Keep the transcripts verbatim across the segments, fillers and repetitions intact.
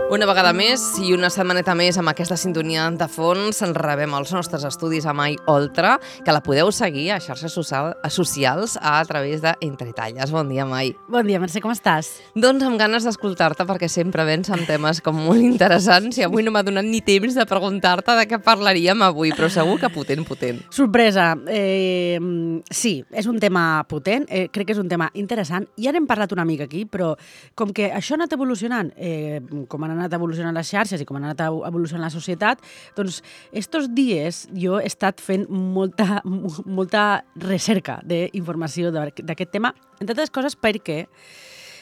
Una vegada més i una setmaneta més amb aquesta sintonia de fons ens rebem als nostres estudis a Mai Oltra, que la podeu seguir a xarxes social, a socials a través de Entre Talles. Bon dia, Mai. Bon dia, Mercè, com estàs? Doncs amb ganes d'escoltar-te perquè sempre vens amb temes com molt interessants i avui no m'ha donat ni temps de preguntar-te de què parlaríem avui, però segur que potent, potent. Sorpresa. Eh, sí, és un tema potent, eh, crec que és un tema interessant. Ja n'hem parlat una mica aquí, però com que això ha anat evolucionant, eh, com han anat evolucionant les xarxes i com ha anat evolucionant la societat, doncs estos dies jo he estat fent molta, molta recerca d'informació d'aquest tema, entre altres coses perquè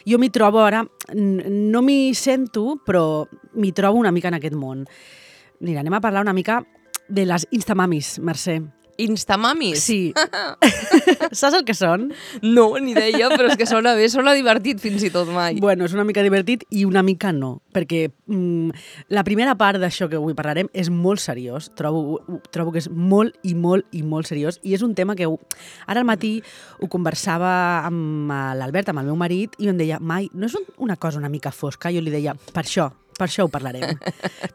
jo m'hi trobo ara, no m'hi sento, però m'hi trobo una mica en aquest món. Mira, anem a parlar una mica de les Instamamis, Mercè. Instamamis? Sí. Saps el que són? No, ni idea, però és que sona bé, sona divertit fins i tot, Mai. Bueno, és una mica divertit i una mica no, perquè mm, la primera part d'això que avui parlarem és molt seriós, trobo, trobo que és molt i molt i molt seriós, i és un tema que ara al matí ho conversava amb l'Albert, amb el meu marit, i em deia, Mai, no és una cosa una mica fosca? Jo li deia, per això, per això ho parlarem,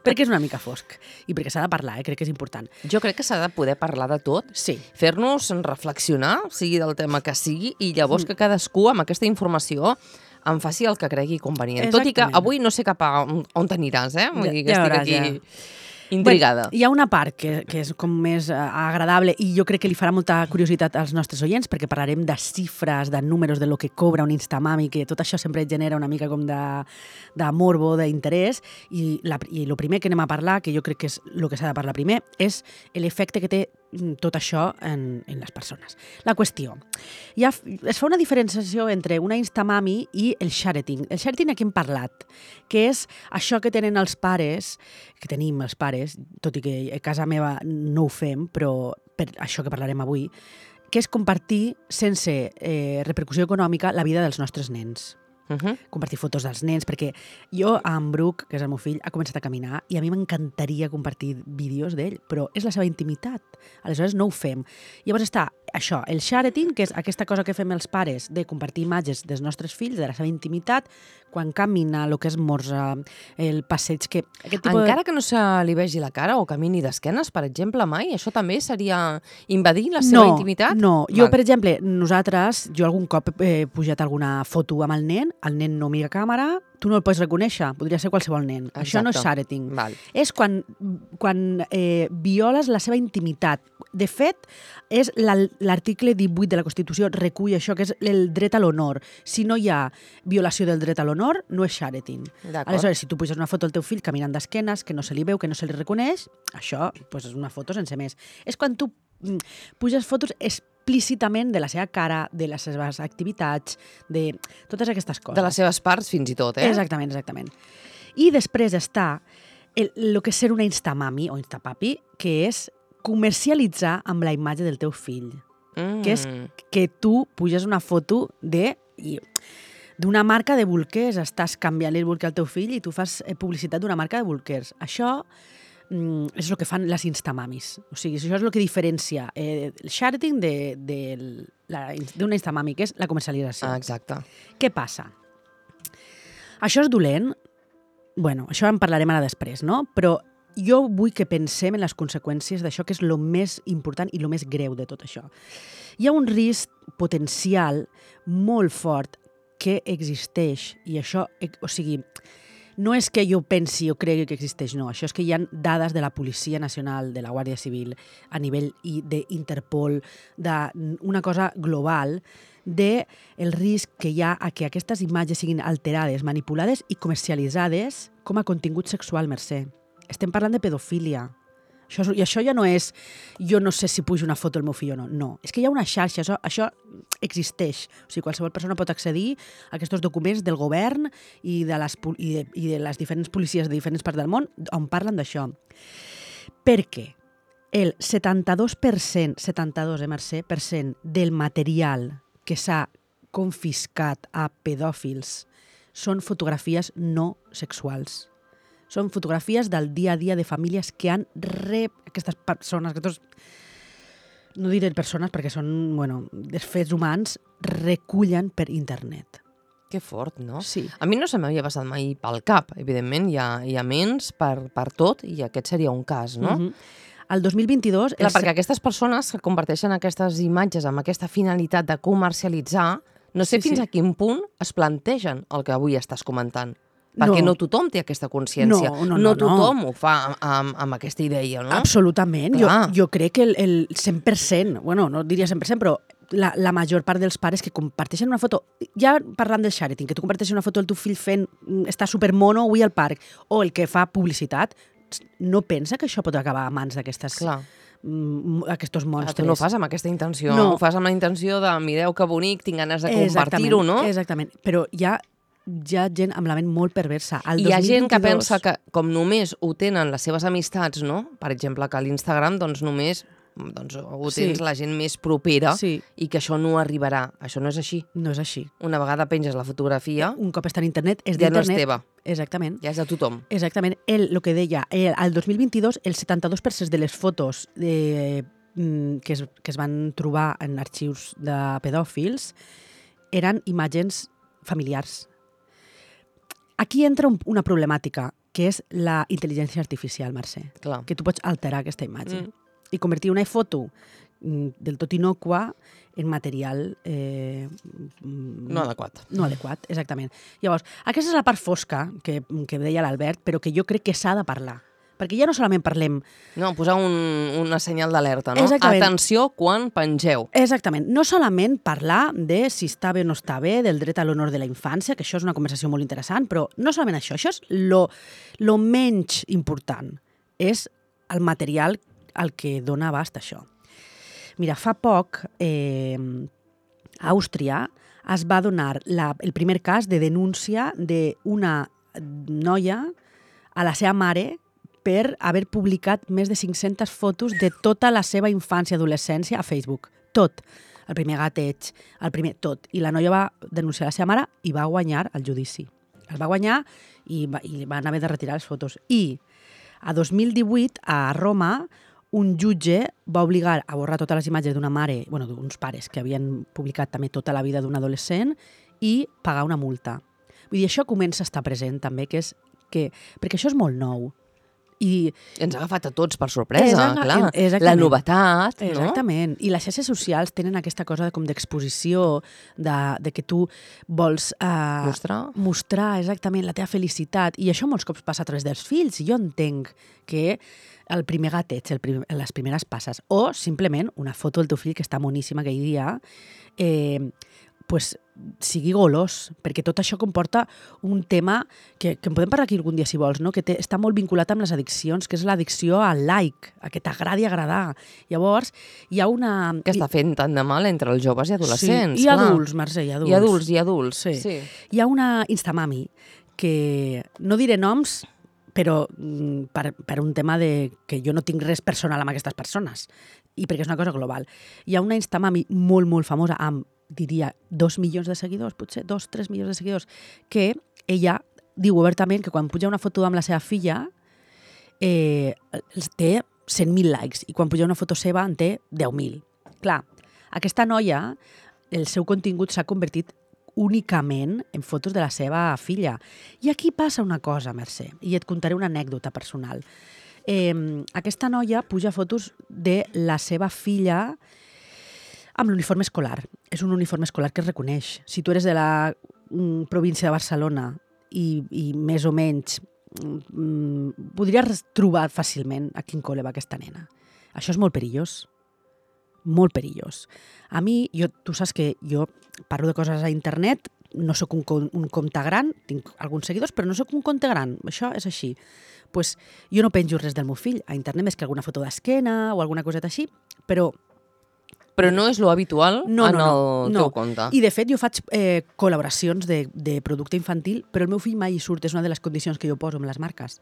perquè és una mica fosc i perquè s'ha de parlar, eh? Crec que és important. Jo crec que s'ha de poder parlar de tot, sí. Fer-nos reflexionar, sigui del tema que sigui, i llavors que cadascú amb aquesta informació en faci el que cregui convenient. Exactament. Tot i que avui no sé cap a on, on t'aniràs, eh? Vull dir que ja estic veuràs, aquí... Ja. Intrigada. Bueno, hi ha una part que, que és com més uh, agradable i jo crec que li farà molta curiositat als nostres oients perquè parlarem de xifres, de números, de lo que cobra un Instamami, que tot això sempre genera una mica com de, de morbo, d'interès, i, la, i el primer que anem a parlar, que jo crec que és el que s'ha de parlar primer, és l'efecte que té tot això en, en les persones. La qüestió. Ja es fa una diferenciació entre una Instamami i el shareting. El shareting aquí hem parlat, que és això que tenen els pares, que tenim els pares, tot i que a casa meva no ho fem, però per això que parlarem avui, que és compartir sense eh, repercussió econòmica la vida dels nostres nens. Uh -huh. Compartir fotos dels nens, perquè jo, en Bruc, que és el meu fill, ha començat a caminar i a mi m'encantaria compartir vídeos d'ell, però és la seva intimitat, aleshores no ho fem. Llavors està això, el shareting, que és aquesta cosa que fem els pares de compartir imatges dels nostres fills, de la seva intimitat, quan camina, el que és morsa, el passeig, que... Aquest tipus Encara de... que no se li vegi la cara o camini d'esquenes, per exemple, Mai, això també seria invadir la seva no, intimitat? No, jo, Val. per exemple, nosaltres, jo algun cop he pujat alguna foto amb el nen, el nen no mira càmera, tu no el pots reconèixer, podria ser qualsevol nen. Exacte. Això no és shareting. Val. És quan, quan eh, violes la seva intimitat. De fet, és l'article divuit de la Constitució recull això, que és el dret a l'honor. Si no hi ha violació del dret a l'honor, no és shareting. Aleshores, si tu puges una foto del teu fill caminant d'esquenes, que no se li veu, que no se li reconeix, això pues, és una foto sense més. És quan tu puges fotos explícitament de la seva cara, de les seves activitats, de totes aquestes coses. De les seves parts, fins i tot, eh? Exactament, exactament. I després està el, el que és ser una Instamami o Instapapi, que és comercialitzar amb la imatge del teu fill. Mm. Que és que tu puges una foto de... d'una marca de bolquers, estàs canviant el bolquer al teu fill i tu fas publicitat d'una marca de bolquers. Això mm, és el que fan les Instamamis. O sigui, això és el que diferencia eh, el shareting d'una Instamami, que és la comercialització. Ah, exacte. Què passa? Això és dolent? Bueno, això en parlarem ara després, no? Però jo vull que pensem en les conseqüències d'això, que és el més important i el més greu de tot això. Hi ha un risc potencial molt fort que existeix, i això, o sigui, no és que jo pensi o cregui que existeix, no. Això és que hi ha dades de la Policia Nacional, de la Guàrdia Civil, a nivell d'Interpol, d'una cosa global, de el risc que hi ha a que aquestes imatges siguin alterades, manipulades i comercialitzades com a contingut sexual, Mercè. Estem parlant de pedofília. Això, I això ja no és, jo no sé si pujo una foto del meu fill o no. No, és que hi ha una xarxa, això, això existeix. O sigui, qualsevol persona pot accedir a aquests documents del govern i de les, i de, i de les diferents policies de diferents parts del món on parlen d'això. Perquè el setanta-dos per cent, setanta-dos, eh, Mercè, per cent del material que s'ha confiscat a pedòfils són fotografies no sexuals. Són fotografies del dia a dia de famílies que han rep aquestes persones, aquests, no diré persones perquè són, bueno, desfets humans, recullen per internet. Que fort, no? Sí. A mi no se m'havia passat mai pel cap. Evidentment, hi ha, hi ha ments per, per tot i aquest seria un cas, no? Uh -huh. El dos mil vint-i-dos... Clar, els... perquè aquestes persones que comparteixen aquestes imatges amb aquesta finalitat de comercialitzar, no sé Sí, fins sí. a quin punt es plantegen el que avui estàs comentant. Perquè no, no tothom té aquesta consciència. No, no, no, no no. tothom ho fa amb, amb, amb aquesta idea, no? Absolutament. Jo, Clar. jo crec que el, el cent per cent, bueno, no diria cent per cent, però la, la major part dels pares que comparteixen una foto, ja parlant del sharing, que tu comparteixes una foto del teu fill fent, està supermono avui al parc, o el que fa publicitat, no pensa que això pot acabar a mans d'aquestes... Clar. Mm, aquests monstres. Tu no ho fas amb aquesta intenció, No. ho fas amb la intenció de mireu que bonic, tinc ganes de Exactament, compartir-ho, no? Exactament, però hi ha, hi ha gent amb la ment molt perversa. El Hi ha gent que dos mil vint-i-dos pensa que com només ho tenen les seves amistats, no? Per exemple, que a l'Instagram doncs només doncs, ho tens Sí. la gent més propera Sí. i que això no arribarà. Això no és així. No és així. Una vegada penges la fotografia, Un cop està en internet, és ja no és d'internet. teva, Exactament. ja és de tothom. Exactament. El, el que deia, el, el dos mil vint-i-dos el setanta-dos per cent de les fotos de, mm, que, es, que es van trobar en arxius de pedòfils eren imatges familiars. Aquí entra un, una problemàtica, que és la intel·ligència artificial, Mercè. Clar. Que tu pots alterar aquesta imatge Mm. i convertir una foto mm, del tot innocua en material eh, mm, No adequat. no adequat, exactament. Llavors, aquesta és la part fosca que, que deia l'Albert, però que jo crec que s'ha de parlar. Perquè ja no solament parlem... No, posar un, una senyal d'alerta, no? Exactament. Atenció quan pengeu. Exactament. No solament parlar de si està bé o no està bé, del dret a l'honor de la infància, que això és una conversació molt interessant, però no solament això, això és lo, lo menys important. És el material al que dona abast això. Mira, fa poc, eh, a Àustria es va donar la, el primer cas de denúncia d'una noia a la seva mare per haver publicat més de cinc-centes fotos de tota la seva infància i adolescència a Facebook. Tot. El primer gateig, el primer tot. I la noia va denunciar la seva mare i va guanyar el judici. El va guanyar i, va, i van haver de retirar les fotos. I a dos mil divuit, a Roma, un jutge va obligar a borrar totes les imatges d'una mare, bueno, d'uns pares que havien publicat també tota la vida d'un adolescent i pagar una multa. Vull dir, això comença a estar present també, que és que, perquè això és molt nou. I Ens ha agafat a tots per sorpresa, Exacte- clar. exactament. La novetat, no? Exactament. I les xarxes socials tenen aquesta cosa de, com d'exposició, de, de que tu vols... Uh, Mostrar. Mostrar, exactament, la teva felicitat. I això molts cops passa a través dels fills. I jo entenc que el primer gateig, el prim, les primeres passes, o simplement una foto del teu fill que està moníssima aquell dia, eh, pues, sigui golós, perquè tot això comporta un tema que, que en podem parlar aquí algun dia si vols, no? Que té, està molt vinculat amb les addiccions, que és l'addicció al like, a que t'agradi agradar. Llavors, hi ha una... Que està fent tant de mal entre els joves i adolescents. Sí, i clar. adults, Mercè, i adults. I adults, i adults. Sí. sí. Hi ha una Instamami que, no diré noms, però mm, per, per un tema de que jo no tinc res personal amb aquestes persones i perquè és una cosa global. Hi ha una Instamami molt, molt famosa amb, diria, dos milions de seguidors, potser dos, tres milions de seguidors, que ella diu obertament que quan puja una foto amb la seva filla eh, té cent mil likes i quan puja una foto seva en té deu mil. Clar, aquesta noia, el seu contingut s'ha convertit únicament en fotos de la seva filla. I aquí passa una cosa, Mercè, i et contaré una anècdota personal. Eh, aquesta noia puja fotos de la seva filla amb l'uniforme escolar. És un uniforme escolar que es reconeix. Si tu eres de la mm, província de Barcelona i, i més o menys mm, podries trobar fàcilment a quin col·le va aquesta nena. Això és molt perillós. Molt perillós. A mi, jo, tu saps que jo parlo de coses a internet, no sóc un, un compte gran, tinc alguns seguidors, però no sóc un compte gran. Això és així. Pues, jo no penjo res del meu fill a internet, més que alguna foto d'esquena o alguna coseta així, però Però no és lo habitual no, en no, no, el no. teu compte. I, de fet, jo faig eh, col·laboracions de, de producte infantil, però el meu fill mai hi surt, és una de les condicions que jo poso amb les marques.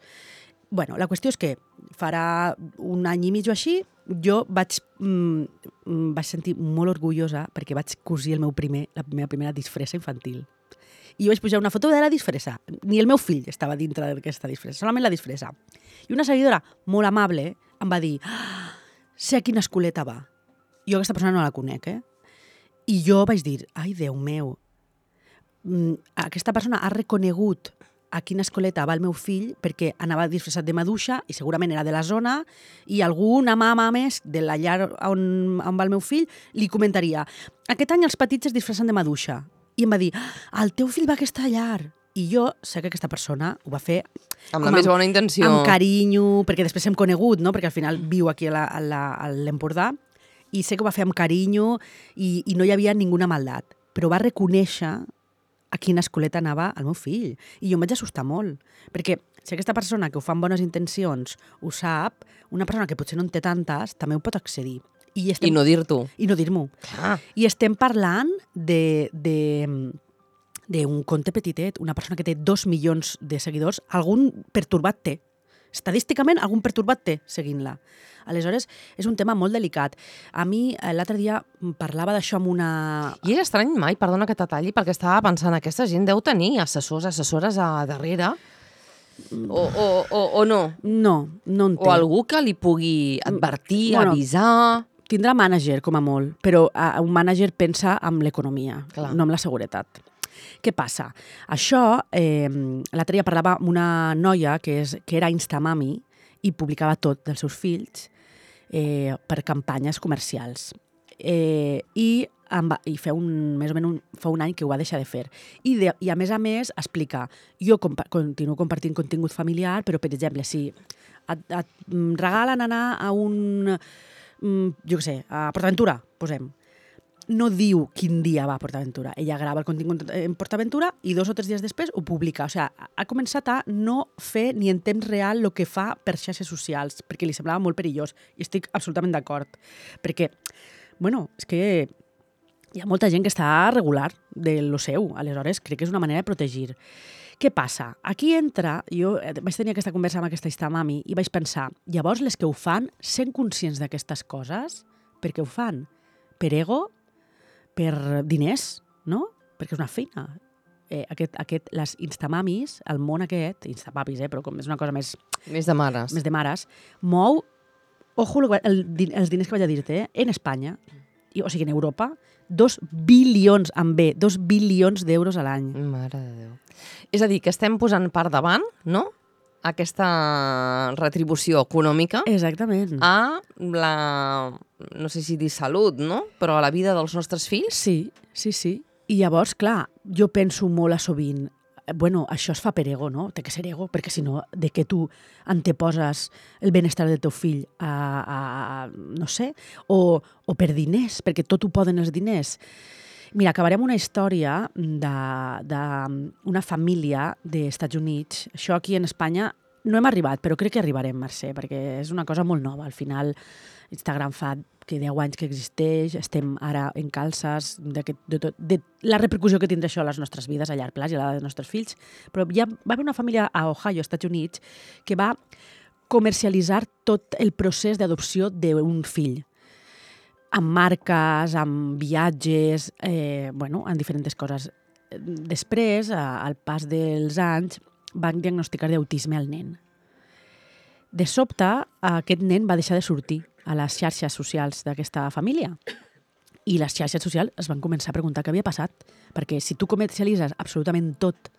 Bueno, la qüestió és que farà un any i mig o així, jo vaig, mm, vaig sentir molt orgullosa perquè vaig cosir el meu primer, la meva primera disfressa infantil. I jo vaig pujar una foto de la disfressa. Ni el meu fill estava dintre d'aquesta disfressa, solament la disfressa. I una seguidora molt amable em va dir ah, sé a quina escoleta va. Jo aquesta persona no la conec, eh? I jo vaig dir, ai, Déu meu, aquesta persona ha reconegut a quina escoleta va el meu fill perquè anava disfressat de maduixa i segurament era de la zona i alguna mama més de la llar on, on va el meu fill li comentaria aquest any els petits es disfressen de maduixa i em va dir, ah, el teu fill va a aquesta llar. I jo sé que aquesta persona ho va fer amb la més bona intenció. Amb carinyo, perquè després hem conegut, no? Perquè al final viu aquí a l'Empordà i sé que ho va fer amb carinyo i, i no hi havia ninguna maldat. Però va reconèixer a quina escoleta anava el meu fill. I jo em vaig assustar molt, perquè si aquesta persona que ho fa amb bones intencions ho sap, una persona que potser no en té tantes també ho pot accedir. I, estem... I no dir-t'ho. I no dir-m'ho. I estem parlant de... de d'un compte petitet, una persona que té dos milions de seguidors, algun pertorbat té. Estadísticament, algun pertorbat té seguint-la. Aleshores, és un tema molt delicat. A mi, l'altre dia, parlava d'això amb una... I és estrany mai, perdona que t'atalli, perquè estava pensant, aquesta gent deu tenir assessors, assessores a darrere, o, o, o, o no? No, no en té. O algú que li pugui advertir, bueno, avisar... Tindrà mànager, com a molt, però un mànager pensa en l'economia, no en la seguretat. Què passa? Això, eh, l'altre dia parlava amb una noia que, és, que era Instamami i publicava tot dels seus fills eh, per campanyes comercials. Eh, i, amb, i fa, un, més o menys un, fa un any que ho va deixar de fer. I, de, i a més a més explica, jo compa continuo compartint contingut familiar, però per exemple, si et, et regalen anar a un, jo què sé, a PortAventura, posem, no diu quin dia va a PortAventura. Ella grava el contingut en PortAventura i dos o tres dies després ho publica. O sigui, ha començat a no fer ni en temps real el que fa per xarxes socials, perquè li semblava molt perillós. I estic absolutament d'acord. Perquè, bueno, és que hi ha molta gent que està regular de lo seu. Aleshores, crec que és una manera de protegir. Què passa? Aquí entra... Jo vaig tenir aquesta conversa amb aquesta Instamami i vaig pensar, llavors les que ho fan, sent conscients d'aquestes coses, per què ho fan? Per ego? Per diners, no? Perquè és una feina. Eh, aquest, aquest, les Instamamis, el món aquest, Instapapis, eh, però com és una cosa més... Més de mares. Més de mares, mou, ojo, el, els diners que vaig a dir-te, eh, en Espanya, i, o sigui, en Europa, dos bilions, amb B, dos bilions d'euros a l'any. Mare de Déu. És a dir, que estem posant per davant, no?, aquesta retribució econòmica exactament a la, no sé si dir salut, no? Però a la vida dels nostres fills. Sí, sí, sí. I llavors, clar, jo penso molt a sovint, bueno, això es fa per ego, no? Té que ser ego, perquè si no, de què tu anteposes el benestar del teu fill a, a no sé, o, o per diners, perquè tot ho poden els diners. Mira, acabarem una història d'una família dels Estats Units. Això aquí en Espanya no hem arribat, però crec que arribarem, Mercè, perquè és una cosa molt nova. Al final, Instagram fa que deu anys que existeix, estem ara en calces de, de, de, de la repercussió que tindrà això a les nostres vides a llarg plaç i a la dels nostres fills. Però ja va haver una família a Ohio, Estats Units, que va comercialitzar tot el procés d'adopció d'un fill, amb marques, amb viatges, eh, bueno, en diferents coses. Després, al pas dels anys, van diagnosticar d'autisme al nen. De sobte, aquest nen va deixar de sortir a les xarxes socials d'aquesta família. I les xarxes socials es van començar a preguntar què havia passat, perquè si tu comercialitzes absolutament tot,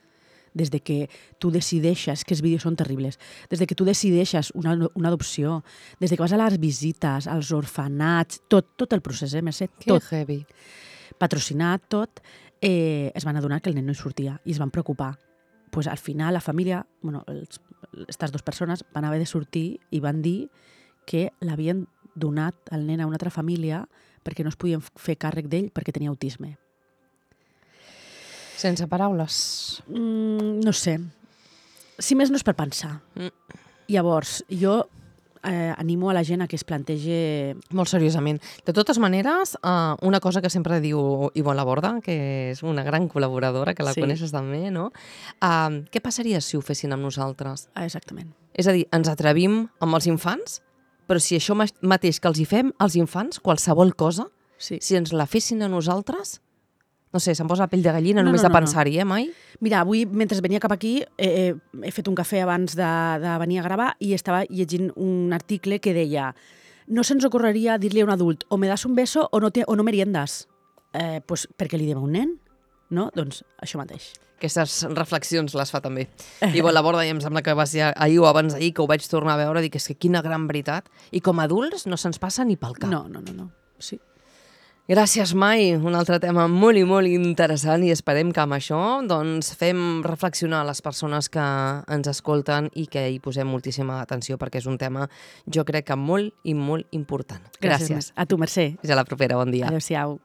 des de que tu decideixes, que els vídeos són terribles, des de que tu decideixes una, una adopció, des de que vas a les visites, als orfenats, tot, tot el procés, eh, Mercè? Tot. Que heavy. Patrocinat, tot, eh, es van adonar que el nen no hi sortia i es van preocupar. Pues, al final, la família, bueno, aquestes dues persones van haver de sortir i van dir que l'havien donat el nen a una altra família perquè no es podien fer càrrec d'ell perquè tenia autisme. Sense paraules. Mm, no sé. Si més no és per pensar. Mm. Llavors, jo eh, animo a la gent a que es plantegi... Molt seriosament. De totes maneres, uh, una cosa que sempre diu Ivonne Laborda, que és una gran col·laboradora, que la sí. coneixes també, no? Uh, què passaria si ho fessin amb nosaltres? Ah, exactament. És a dir, ens atrevim amb els infants, però si això mateix que els hi fem als infants, qualsevol cosa, sí. si ens la fessin a nosaltres... No sé, se'm posa la pell de gallina no, només no, de no, pensar-hi, eh, mai? Mira, avui, mentre venia cap aquí, eh, he fet un cafè abans de, de venir a gravar i estava llegint un article que deia no se'ns ocorreria dir-li a un adult o me das un beso o no, te, o no meriendes. Eh, pues, perquè li diem a un nen? no? Doncs això mateix. Aquestes reflexions les fa també. I bon, la Borda, i em sembla que va ser ahir o abans d'ahir que ho vaig tornar a veure, dic, és que quina gran veritat. I com a adults no se'ns passa ni pel cap. No, no, no, no. Sí. Gràcies, Mai. Un altre tema molt i molt interessant i esperem que amb això doncs, fem reflexionar les persones que ens escolten i que hi posem moltíssima atenció perquè és un tema, jo crec que molt i molt important. Gràcies. Gràcies. A tu, Mercè. Fins a la propera. Bon dia. Adéu-siau.